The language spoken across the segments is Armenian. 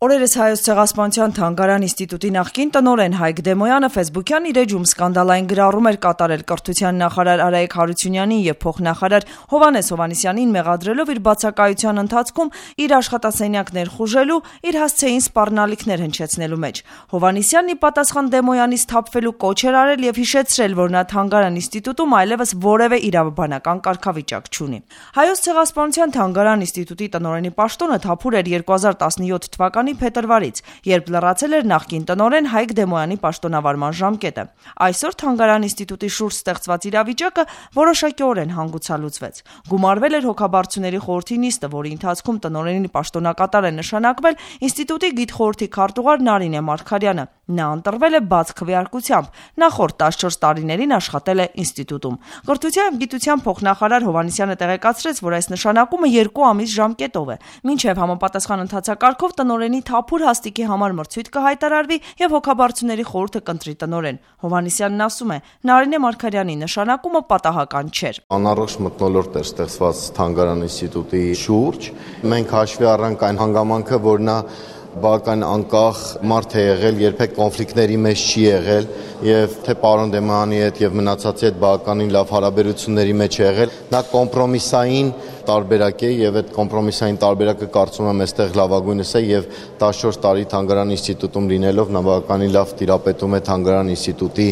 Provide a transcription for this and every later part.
Օրերս Հայոց ցեղասպանության թանգարան ինստիտուտի նախկին տնօրեն Հայկ Դեմոյանը ֆեյսբուքյան իր էջում սկանդալային գրառում էր կատարել կրթության նախարար Արայիկ Հարությունյանին եւ փոխնախարար Հովհաննես Հովհաննիսյանին մեղադրելով իր բացակայության ընթացքում իր աշխատասենյակ ներխուժելու, իր հասցեին սպառնալիքներ հնչեցնելու մեջ։ Հովհաննիսյանն ի պատասխան Դեմոյանից թափվելու կոչ էր արել եւ հիշեցրել, որ նա թանգարան ինստիտուտում այլևս որևէ իրավաբանական կարգավիճակ չունի։ Հայոց ցեղասպանության թանգարան ինստիտուտի տնօրենի պաշտոնը թափուր էր 2017 թվականի փետրվարից, երբ լրացել էր նախկին տնօրեն Հայկ Դեմոյանի պաշտոնավարման ժամկետը։ Այսօր թանգարան ինստիտուտի շուրջ ստեղծված իրավիճակը որոշակիորեն հանգուցալուծվեց։ Գումարվել էր հոգաբարձուների խորհրդի նիստը, որի ընթացքում տնօրենի պաշտոնակատար է նշանակվել ինստիտուտի գիտխորհրդի քարտուղար Նարինե Մարգարյանը։ Նա ընտրվել է բաց քվեարկությամբ, նախորդ 14 տարիներին աշխատել է ինստիտուտում։ Կրթության և գիտության փոխնախարար Հովհաննիսյանը տեղեկացրեց, որ այս նշանակումը 2 ամիս ժամկետով է, մինչև համապատասխան ընթացակարգով տնօրենի թափուր հաստիքի համար մրցույթ կհայտարարվի եւ հոգաբարձուների խորհուրդը կընտրի տնօրեն։ Հովհաննիսյանն ասում է, Նարինե Մարգարյանի նշանակումը պատահական չէր։ Անառողջ մթնոլորտ էր ստեղծված թանգարան ինստիտուտի շուրջ։ Մենք հաշվի առանք այն հանգամանքը, որ նա բավական անկախ մարդ է եղել, երբեք կոնֆլիկտների մեջ չի եղել եւ թե պարոն Դեմոյանի հետ եւ մնացածի հետ բավականին լավ հարաբերությունների մեջ է եղել։ Նա կոմպրոմիսային տարբերակ է եւ այդ կոմպրոմիսային տարբերակը կարծում եմ այստեղ լավագույնս է եւ 14 տարի թանգարան ինստիտուտում լինելով նա բավականին լավ տիրապետում է թանգարան ինստիտուտի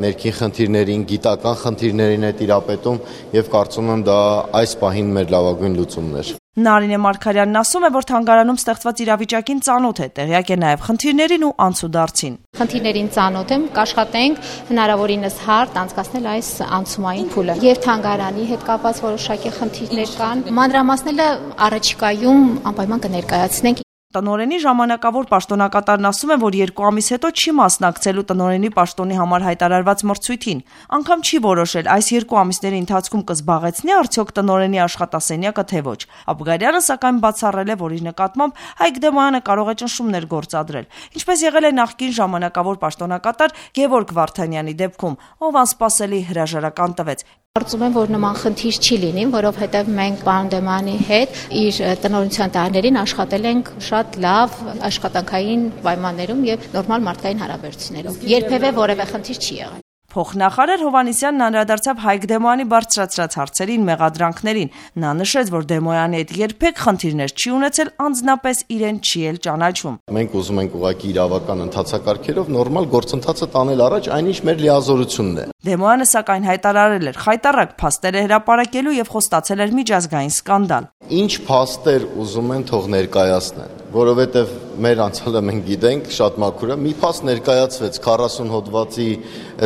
ներքին խնդիրներին, գիտական խնդիրներին է տիրապետում եւ կարծում եմ դա այս պահին մեր լավագույն լուծումն էր։ Նարինե Մարգարյանն ասում է, որ թանգարանում ստեղծված իրավիճակին ծանոթ է, տեղյակ է նաև խնդիրներին ու անցուդարձին։ Խնդիրներին ծանոթ եմ, կաշխատենք հնարավորինս հարթ անցկացնել այս անցումային փուլը։ Եվ թանգարանի հետ կապված որոշակի խնդիրներ կան, մանրամասները առաջիկայում անպայման կներկայացնենք։ Տնօրենի ժամանակավոր պաշտոնակատարն ասում է, որ 2 ամիս հետո չի մասնակցելու տնօրենի պաշտոնի համար հայտարարված մրցույթին։ Անգամ չի որոշել այս 2 ամիսների ընթացքում կզբաղեցնի արդյոք տնօրենի աշխատասենյակը թե ոչ։ Աբգարյանը սակայն բացառել է, որ իր նկատմամբ Հայկ Դեմոյանը կարող է ճնշումներ գործադրել, ինչպես եղել է նախկին ժամանակավոր պաշտոնակատար Գևորգ Վարդանյանի դեպքում, ով անսպասելի հրաժարական տվեց։ Կարծում եմ, որ նման խնդիր չի լինի, որովհետև մենք պարոն Դեմոյանի հետ իր տնօրենության տարիներին աշխատել ենք շատ լավ աշխատանքային պայմաններում եւ նորմալ մարդկային հարաբերություններով։ Երբևէ որևէ խնդիր չի եղել։ Փոխնախարար Հովհաննիսյանն անդրադարձավ Հայկ Դեմոյանի բարձրացրած հարցերին, մեղադրանքներին։ Նա նշեց, որ Դեմոյանի հետ երբեք խնդիրներ չի ունեցել, անձնապես իրեն չի էլ ճանաչում։ Մենք ուզում ենք ուղղակի իրավական ընթացակարգերով նորմալ գործընթացը տանել առաջ, այնինչ մեր լիազորությունն է։ Դեմոյանը սակայն հայտարարել էր խայտառակ փաստեր է հրապարակելու եւ խոստացել էր միջազգային սկանդալ։ Ինչ փաստեր ուզում են թող ներկայացնեն, որովհետև մեր անցյալը մենք գիտենք շատ մաքուր է, մի փաստ ներկայացվեց 40 հոդվածի,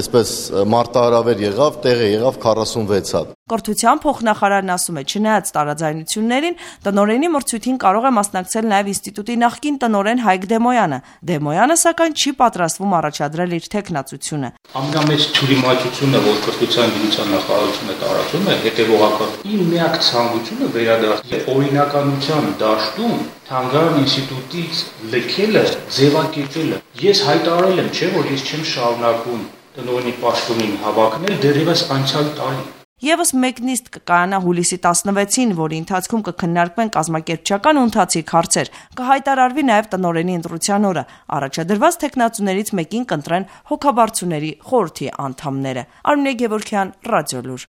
այսպես մարտահրավեր եղավ, տեղը եղավ 46 հատ։ Կրթության փոխնախարարն ասում է, չնայած տարաձայնություններին, տնօրենի մրցույթին կարող է մասնակցել նաև ինստիտուտի նախկին տնօրեն Հայկ Դեմոյանը։ Դեմոյանը սակայն չի պատրաստվում առաջադրել իր թեկնածությունը։ Ամենամեծ թյուրիմացությունը, որ կրթության գիտության նախարարությունը տարածում է, հետևողական։ Իմ միակ ցանկությունը վերադարձնել օրինականության դաշտում թանգարան ինստիտուտից լքելը, ձևակերպելը։ Ես հայտարարել եմ, չէ՞ որ ես չեմ շարունակում տնօրենի պաշտոնին հավակնել դեռևս անցյալ տարի։ Եվս մեկ նիստ կկայանա հուլիսի 16-ին, որի ընթացքում կքննարկվեն կազմակերպչական ու ընթացիկ հարցեր, կհայտարարվի նաև տնօրենի ընտրության օրը։ Առաջադրված թեկնածուներից մեկին կընտրեն հոգաբարձուների խորհրդի անդամները։ Արմինե Գևորգյան, Ռադիոլուր։